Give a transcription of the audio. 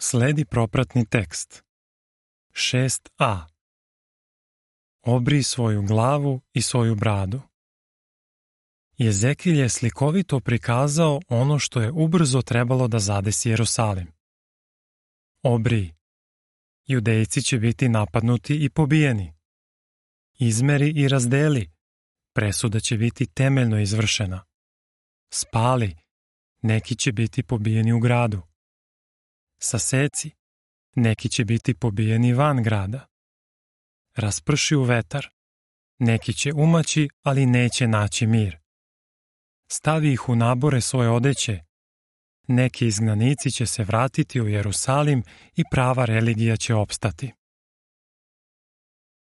Sledi propratni tekst. 6a. Obrij svoju glavu i svoju bradu. Jezekilj je slikovito prikazao ono što je ubrzo trebalo da zadesi Jerusalim. Obrij. Judejci će biti napadnuti i pobijeni. Izmeri i razdeli. Presuda će biti temeljno izvršena. Spali. Neki će biti pobijeni u gradu. Saseci. Neki će biti pobijeni van grada. Rasprši u vetar. Neki će umaći, ali neće naći mir. Stavi ih u nabore svoje odeće. Neki izgnanici će se vratiti u Jerusalim i prava religija će opstati.